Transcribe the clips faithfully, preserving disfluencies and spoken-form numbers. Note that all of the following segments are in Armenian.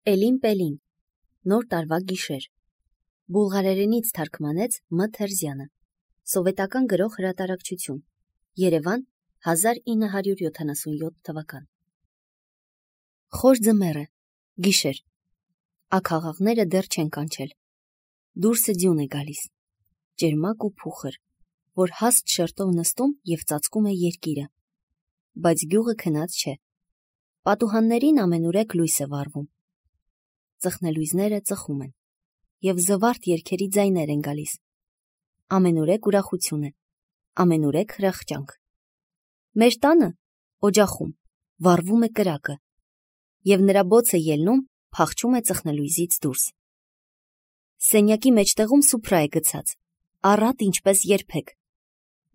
Էլին Պելին, նոր տարվա գիշեր, բուլղարերենից թարգմանեց Մ. Թերզյանը, սովետական գրող հրատարակչություն, Երևան, հազար ինը հարյուր յոթանասունյոթ թվական։ Խոր ձմեռ է, գիշեր, աքաղաղները դեռ չեն կանչել, դուրսը ձյուն է գալիս, ջերմակ ու փուխր, որ հաստ շերտով նստում և ծածկում է երկիրը, բայց գյուղը քնած չէ, պատուհաններին ամենուրեք լույս է վառվում, ծխնելույզները ծխում են, և զվարթ երգերի ձայներ են գալիս, ամենուրեք ուրախություն է, ամենուրեք հրախճանք։ Մեր տանը, օջախում, վառվում է կրակը, և նրա բոցը ելնում փախչում է ծխնելույզից դուրս։ Սենյակի մեջտեղում սուփրա է գցած, առատ ինչպես երբեք,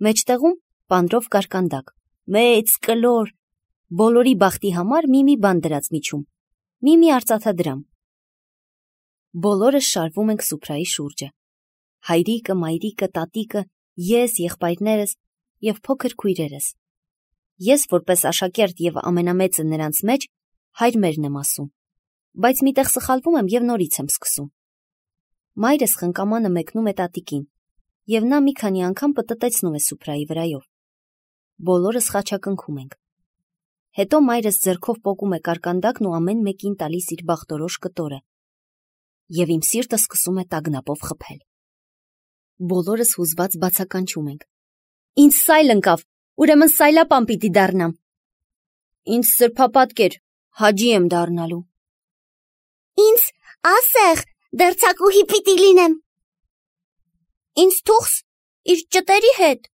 մեջտեղում պանրով կարկանդակ, մեծ կլոր, բոլորի բախտի համար մի-մի բան դրած միջում, մի-մի արծաթադրամ։ Բոլորս շարվում ենք սուփրայի շուրջը, հայրիկը, մայրիկը, տատիկը, ես, եղբայրներս և փոքր քույրերս։ Ես որպես աշակերտ և ամենամեծը նրանց մեջ հայր մերն եմ ասում, բայց մի տեղ սխալվում եմ և նորից եմ սկսում։ Մայրս խնկամանը մեկնում է տատիկին, և նա մի քանի անգամ պտտեցնում է սուփրայի վրայով։ Բոլորս խաչակնքում ենք։ Հետո մայրս ձեռքով պոկում է կարկանդակն ու ամեն մեկին տալիս իր բախտորոշ կտորը, և իմ սիրտը սկսում է տագնապով խփել։ Բոլորս հուզված բացականչում ենք. Ինձ սայլ ընկավ, ուրեմն սայլապան պիտի դառնամ։ Ինձ սրբապատկեր, հաջի եմ դառնալու։ Ինձ ասեղ, դերձակուհի պիտի լինեմ։ Ինձ թուղս իր ճտերի հետ։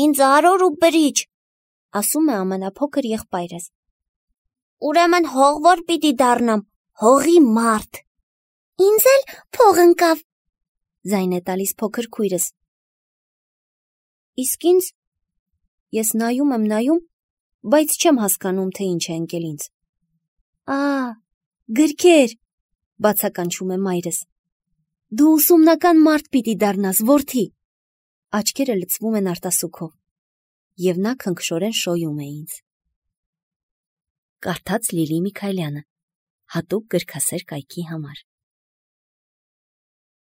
Ինձ արոր ու բրիչ, ասում է ամենափոքր եղբայրս։ Ուրեմն հողվոր պիտի դառնամ, հողի մարդ։ Ինձ էլ փող ընկավ, ձայն է տալիս փոքր քույրս։ Իսկ ինձ, ես նայում եմ նայում, բայց չեմ հասկանում, թե ինչ է ընկել ինձ։ Ա, գրքեր, բացականչում է մայրս։ Դու ուսումնական մարդ պիտի դառնաս, որդի։ Աչքերը լցվում են արտասուքով, և նա քնքշորեն շոյում է ինձ։ Կարդաց Լիլի Միքայելյանը, հատուկ գրքասեր կայքի համար։